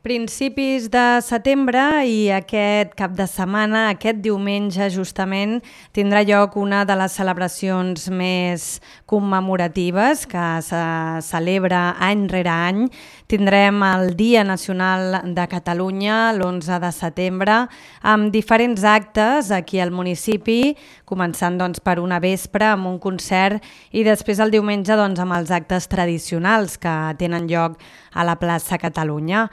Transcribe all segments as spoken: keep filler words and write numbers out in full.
Principis de setembre i aquest cap de setmana, aquest diumenge justament, tindrà lloc una de les celebracions més commemoratives que se celebra any rere any. Tindrem el Dia Nacional de Catalunya l'onze de setembre amb diferents actes aquí al municipi, començant doncs, per una vespre amb un concert i després el diumenge doncs, amb els actes tradicionals que tenen lloc a la plaça Catalunya.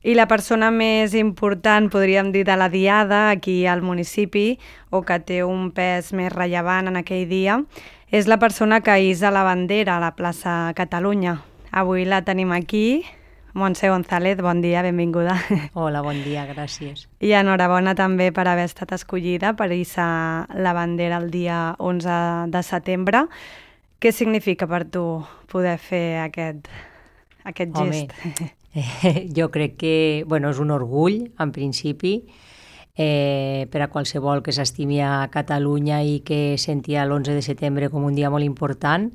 I la persona més important, podríem dir, de la diada aquí al municipi, o que té un pes més rellevant en aquell dia, és la persona que hissa la bandera a la plaça Catalunya. Avui la tenim aquí. Montse González, bon dia, benvinguda. Hola, bon dia, gràcies. I enhorabona també per haver estat escollida per hissar la bandera el dia onze de setembre. Què significa per tu poder fer aquest, aquest gest? Home, eh, jo crec que bueno, és un orgull, en principi, eh, per a qualsevol que s'estimi a Catalunya i que sentia l'onze de setembre com un dia molt important.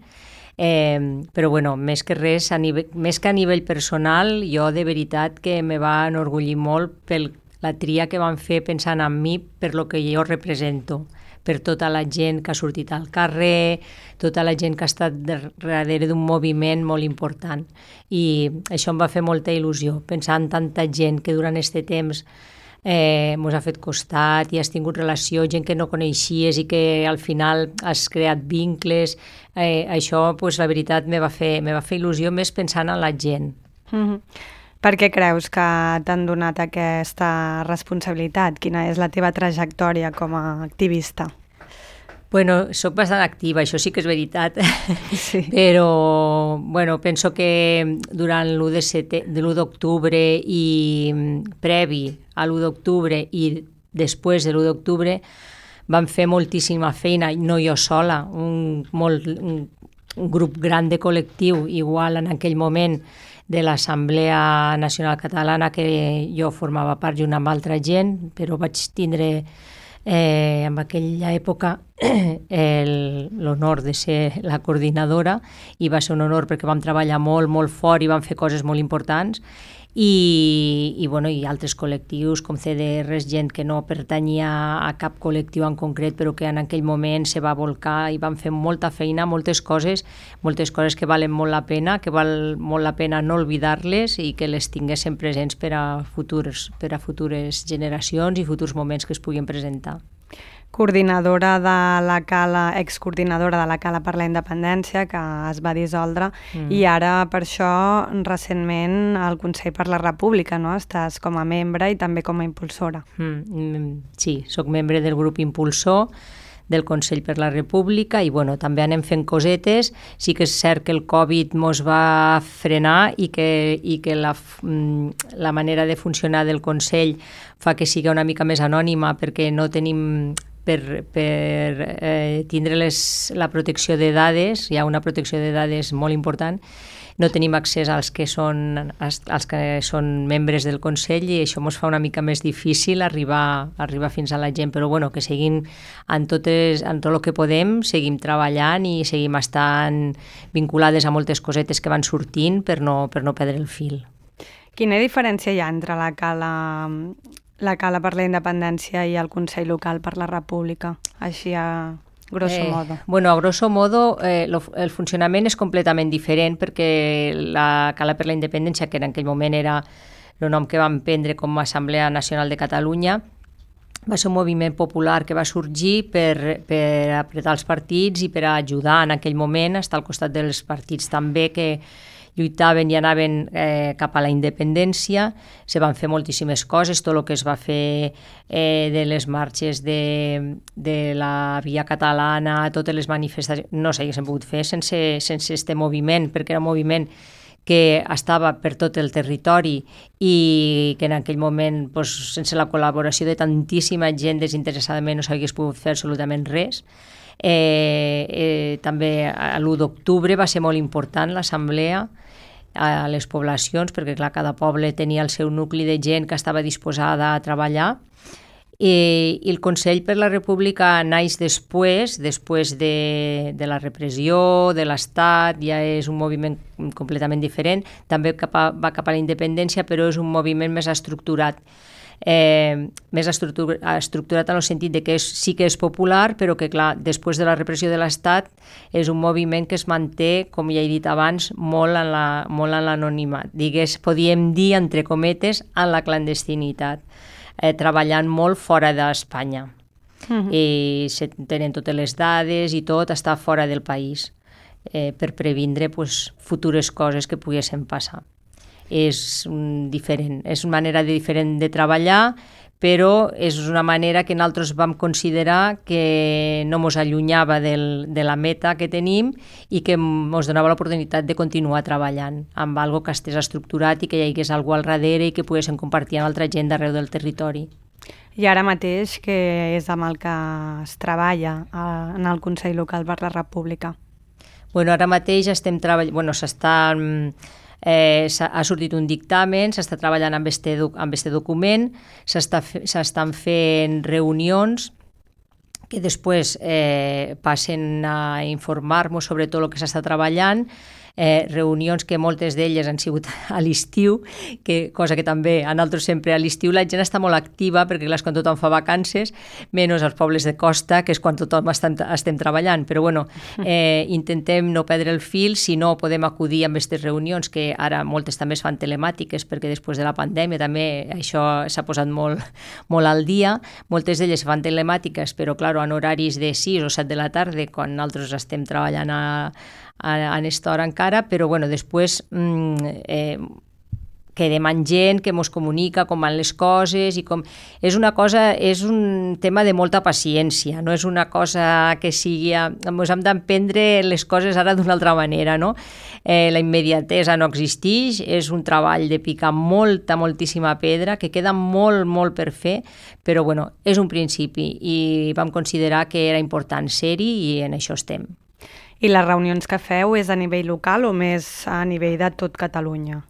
Eh, però bueno, més que res, a nivell, més que a nivell personal, jo de veritat que me va enorgullir molt per la tria que van fer pensant en mi per lo que jo represento, per tota la gent que ha sortit al carrer, tota la gent que ha estat darrere d'un moviment molt important. I això em va fer molta il·lusió, pensar en tanta gent que durant aquest temps eh, mos ha fet costat i has tingut relació, gent que no coneixies i que al final has creat vincles. Eh, això, pues, la veritat, me va fer, me va fer il·lusió més pensant en la gent. Mm-hmm. Per què creus que t'han donat aquesta responsabilitat? Quina és la teva trajectòria com a activista? Bueno, soc bastant activa, això sí que és veritat, sí. Però bueno, penso que durant l'u d'octubre i previ a l'u d'octubre i després de l'u d'octubre vam fer moltíssima feina, no jo sola, un, molt, un, un grup gran de col·lectiu, igual en aquell moment, de l'Assemblea Nacional Catalana, que jo formava part junt amb altra gent, però vaig tindre eh, en aquella època l'honor de ser la coordinadora i va ser un honor perquè vam treballar molt, molt fort i vam fer coses molt importants. I, i, bueno, i altres col·lectius com C D Rs, gent que no pertanyia a cap col·lectiu en concret però que en aquell moment se va volcar i van fer molta feina, moltes coses, moltes coses que valen molt la pena, que val molt la pena no oblidar-les i que les tinguéssim presents per a futures, per a futures generacions i futurs moments que es puguin presentar. Coordinadora de la Cala, excoordinadora de la Cala per la Independència, que es va dissoldre, mm. i ara per això recentment al Consell per la República, no? Estàs com a membre i també com a impulsora. Mm, sí, sóc membre del grup impulsor del Consell per la República i bueno, també anem fent cosetes. Sí que és cert que el Covid mos va frenar i que, i que la, la manera de funcionar del Consell fa que sigui una mica més anònima perquè no tenim per, per eh, tindre les, la protecció de dades, hi ha una protecció de dades molt important, no tenim accés als que són, als, als que són membres del Consell i això ens fa una mica més difícil arribar, arribar fins a la gent, però bueno, que seguim en, totes, en tot el que podem, seguim treballant i seguim estant vinculades a moltes cosetes que van sortint per no, per no perdre el fil. Quina diferència hi ha entre la Cala, la Cala per la Independència i el Consell Local per la República, així a grosso eh, modo? Bueno, a grosso modo eh, lo, el funcionament és completament diferent perquè la Cala per la Independència, que en aquell moment era el nom que vam prendre com a Assemblea Nacional de Catalunya, va ser un moviment popular que va sorgir per, per apretar els partits i per ajudar en aquell moment, estar al costat dels partits també que lluitaven i anaven eh, cap a la independència. Se van fer moltíssimes coses, tot el que es va fer eh, de les marxes de, de la Via Catalana, totes les manifestacions, no s'haguessin pogut fer sense, sense este moviment, perquè era un moviment que estava per tot el territori i que en aquell moment, doncs, sense la col·laboració de tantíssima gent desinteressadament no s'hagués pogut fer absolutament res. Eh, eh, també l'u d'octubre va ser molt important l'assemblea a les poblacions perquè clar, cada poble tenia el seu nucli de gent que estava disposada a treballar I, i el Consell per la República naix després, després de, de la repressió, de l'Estat, ja és un moviment completament diferent, també cap a, va cap a la independència, però és un moviment més estructurat. Eh, més estructur, estructurat en el sentit de que és, sí que és popular, però que clar, després de la repressió de l'Estat és un moviment que es manté, com ja he dit abans, molt en la, molt en l'anonimat. Digués, podíem dir, entre cometes, en la clandestinitat. Eh, treballant molt fora d'Espanya. Uh-huh. I se tenen totes les dades i tot està fora del país eh, per previndre pues, futures coses que poguessin passar. És un, diferent, és una manera de, diferent de treballar, però és una manera que nosaltres vam considerar que no ens allunyava del, de la meta que tenim i que ens donava l'oportunitat de continuar treballant amb algo que estés estructurat i que hi hagués algú al darrere i que poguéssim compartir amb altra gent d'arreu del territori. I ara mateix, que és amb el que es treballa en el Consell Local per la República? Bueno, ara mateix estem treballant, bueno, s'està... Eh, ha sortit un dictamen, s'està treballant amb este, amb este document, s'estan fent reunions que després eh, passen a informar-nos sobre tot el que s'està treballant, eh, reunions que moltes d'elles han sigut a l'estiu, que, cosa que també a nosaltres sempre a l'estiu la gent està molt activa, perquè clar, és quan tothom fa vacances, menys als pobles de costa, que és quan tothom estem, estem treballant, però bueno, eh, intentem no perdre el fil, si no podem acudir a aquestes reunions, que ara moltes també es fan telemàtiques, perquè després de la pandèmia també això s'ha posat molt, molt al dia, moltes d'elles fan telemàtiques, però clar, en horaris de sis o set de la tarda, quan nosaltres estem treballant a a, a aquesta hora encara, però bueno, després mm, eh, quedem amb gent que ens comunica com van les coses i com... És una cosa, és un tema de molta paciència, no és una cosa que sigui... Ens hem d'aprendre les coses ara d'una altra manera, no? Eh, la immediatesa no existeix, és un treball de picar molta, moltíssima pedra, que queda molt, molt per fer, però bueno, és un principi i vam considerar que era important ser-hi i en això estem. I les reunions que feu és a nivell local o més a nivell de tot Catalunya?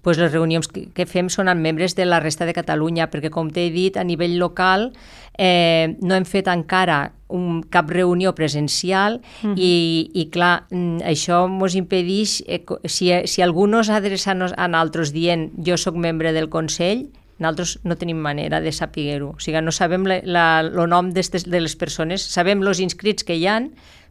Pues les reunions que fem són amb membres de la resta de Catalunya, perquè com t'he dit, a nivell local eh, no hem fet encara un, cap reunió presencial uh-huh. i, i clar, això ens impedeix, eh, si, si algú no s'adreça a nosaltres dient jo sóc membre del Consell, nosaltres no tenim manera de saber-ho. O sigui, no sabem el nom de les persones, sabem els inscrits que hi ha,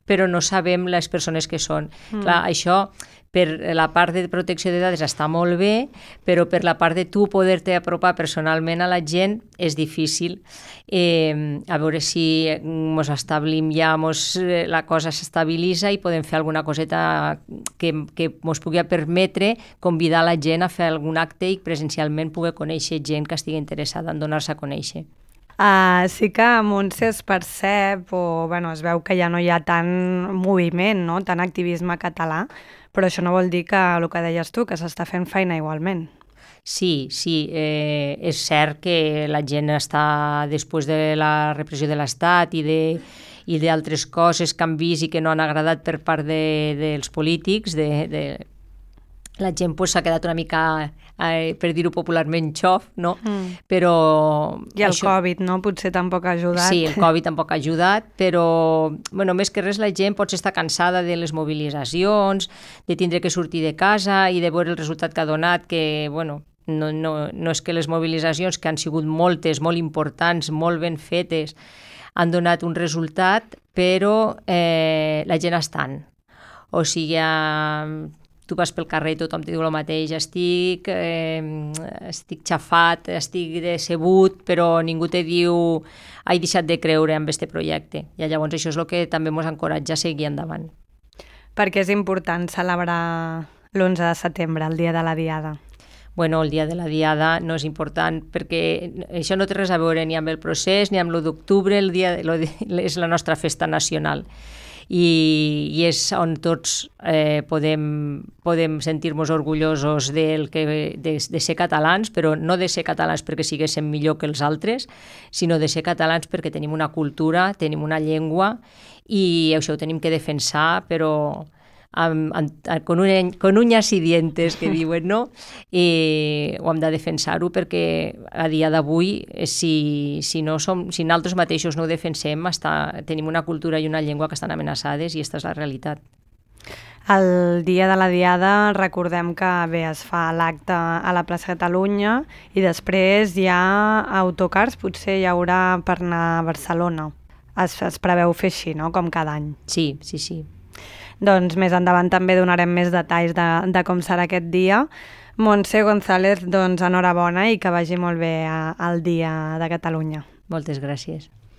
però no sabem les persones que són. Mm. Clar, això per la part de protecció de dades està molt bé, però per la part de tu poder-te apropar personalment a la gent és difícil. Eh, a veure si ens establim ja, mos, la cosa s'estabilitza i podem fer alguna coseta que, que ens pugui permetre convidar la gent a fer algun acte i presencialment poder conèixer gent que estigui interessada en donar-se a conèixer. Uh, sí que a Montse es percep o bueno, es veu que ja no hi ha tant moviment, no? Tant activisme català, però això no vol dir que el que deies tu, que s'està fent feina igualment. Sí, sí, eh, és cert que la gent està, després de la repressió de l'Estat i de i d'altres coses que han vist i que no han agradat per part de, dels polítics, de, de la gent s'ha pues, quedat una mica, eh, per dir-ho popularment, xof, no? Mm. Però... I el això... Covid, no? Potser tampoc ha ajudat. Sí, el Covid tampoc ha ajudat, però bueno, més que res la gent potser està cansada de les mobilitzacions, de tindre que sortir de casa i de veure el resultat que ha donat, que, bueno, no, no, no és que les mobilitzacions, que han sigut moltes, molt importants, molt ben fetes, han donat un resultat, però eh, la gent estan. O sigui, eh, tu vas pel carrer i tothom te diu el mateix, estic, eh, estic xafat, estic decebut, però ningú te diu he deixat de creure en aquest projecte. I llavors això és el que també ens encoratja a seguir endavant. Per què és important celebrar l'onze de setembre, el dia de la Diada? Bueno, el dia de la Diada no és important perquè això no té res a veure ni amb el procés ni amb l'u d'octubre, el dia és la nostra festa nacional. I, i és on tots eh, podem, podem sentir-nos orgullosos del que, de, de ser catalans, però no de ser catalans perquè siguéssim millor que els altres, sinó de ser catalans perquè tenim una cultura, tenim una llengua i això ho tenim que defensar, però amb, amb, con, un, con uñas i dientes, que diuen, no? I ho hem de defensar-ho perquè a dia d'avui, si, si, no som, si nosaltres mateixos no ho defensem, està, tenim una cultura i una llengua que estan amenaçades i aquesta és la realitat. El dia de la Diada recordem que bé, es fa l'acte a la plaça Catalunya i després hi ha autocars, potser hi haurà per anar a Barcelona. Es, es preveu fer així, no?, com cada any. Sí, sí, sí. Doncs més endavant també donarem més detalls de, de com serà aquest dia. Montse González, doncs enhorabona i que vagi molt bé a, al Dia de Catalunya. Moltes gràcies.